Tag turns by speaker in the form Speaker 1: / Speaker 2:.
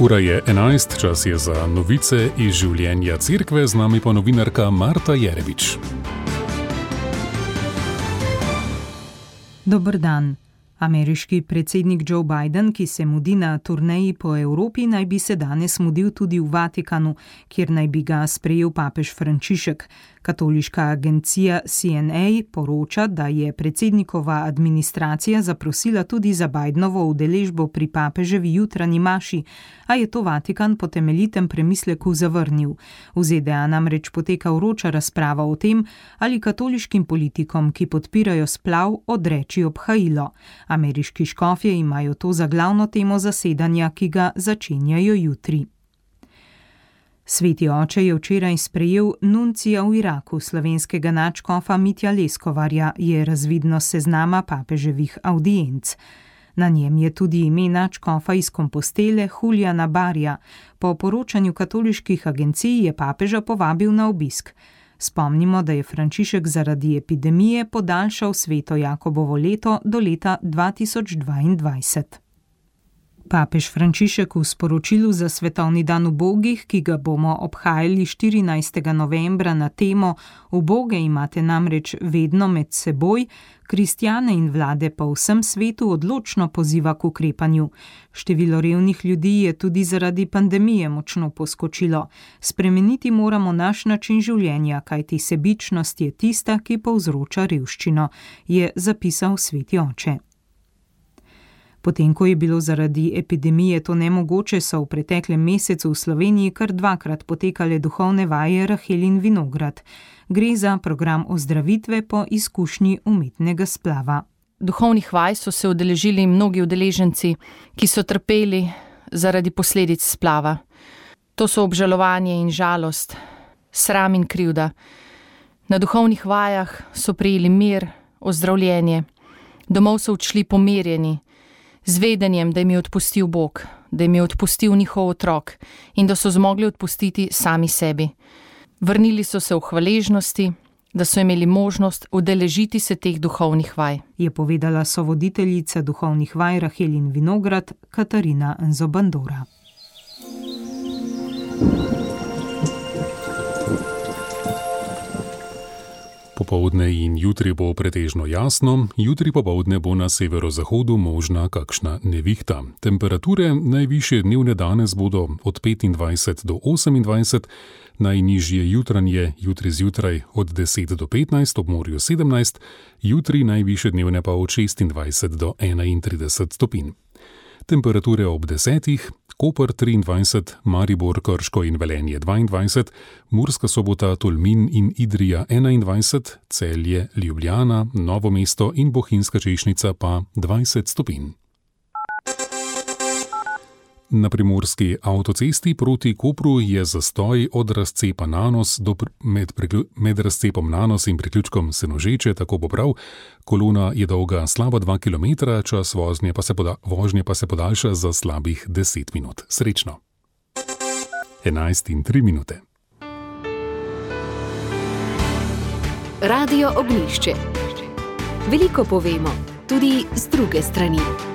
Speaker 1: Ura je 11, čas je za novice iz življenja cerkve, z nami pa novinarka Marta Jerevič.
Speaker 2: Dober dan. Ameriški predsednik Joe Biden, ki se mudi na turneji po Evropi, naj bi se danes mudil tudi v Vatikanu, kjer naj bi ga sprejel papež Frančišek. Katoliška agencija CNA poroča, da je predsednikova administracija zaprosila tudi za Bidenovo udeležbo pri papeževi jutranji maši, a je to Vatikan po temeljitem premisleku zavrnil. V ZDA namreč poteka vroča razprava o tem, ali katoliškim politikom, ki podpirajo splav, odreči obhajilo. Ameriški škofje imajo to za glavno temo zasedanja, ki ga začenjajo jutri. Sveti oče je včeraj sprejel nuncija v Iraku, slovenskega nadškofa Mitja Leskovarja, je razvidno s seznama papeževih avdienc. Na njem je tudi ime nadškofa iz Kompostele Juliana Barja. Po poročanju katoliških agencij je papeža povabil na obisk. Spomnimo, da je Frančišek zaradi epidemije podaljšal Sveto Jakobovo leto do leta 2022. Papež Frančišek v sporočilu za svetovni dan ubogih, ki ga bomo obhajali 14. novembra na temo Uboge imate namreč vedno med seboj, kristjane in vlade po vsem svetu odločno poziva k ukrepanju. Število revnih ljudi je tudi zaradi pandemije močno poskočilo. Spremeniti moramo naš način življenja, kajti sebičnost je tista, ki povzroča revščino, je zapisal sveti oče. Potem, ko je bilo zaradi epidemije to nemogoče, so v preteklem mesecu v Sloveniji kar dvakrat potekale duhovne vaje Rahel in Vinograd. Gre za program ozdravitve po izkušnji umetnega splava.
Speaker 3: Duhovnih vaj so se udeležili mnogi udeleženci, ki so trpeli zaradi posledic splava. To so obžalovanje in žalost, sram in krivda. Na duhovnih vajah so prejeli mir, ozdravljenje. Domov so odšli pomirjeni, z vedenjem, da jim je odpustil Bog, da jim je odpustil njihov otrok in da so zmogli odpustiti sami sebi. Vrnili so se v hvaležnosti, da so imeli možnost udeležiti se teh duhovnih vaj,
Speaker 2: je povedala sovoditeljica duhovnih vaj Rahel in Vinograd Katarina Nzobandora.
Speaker 1: Popoldne in jutri bo pretežno jasno, jutri popoldne bo na severozahodu možna kakšna nevihta. Temperature najvišje dnevne danes bodo od 25 do 28, najnižje jutranje jutri zjutraj od 10 do 15, ob morju 17, jutri najvišje dnevne pa od 26 do 31 stopinj. Temperature ob 10, Koper 23, Maribor, Krško in Velenje 22, Murska Sobota, Tolmin in Idrija 21, Celje, Ljubljana, Novo mesto in Bohinjska Češnica pa 20 stopinj. Na primorski avtocesti proti Kopru je zastoj od razcepa Nanos med razcepom Nanos in priključkom Senožeče, tako bo prav. Kolona je dolga slaba 2 km, čas vožnje pa se podaljša za slabih 10 minut. Srečno. 11:03.
Speaker 4: Radio Ognjišče. Veliko povemo, tudi z druge strani.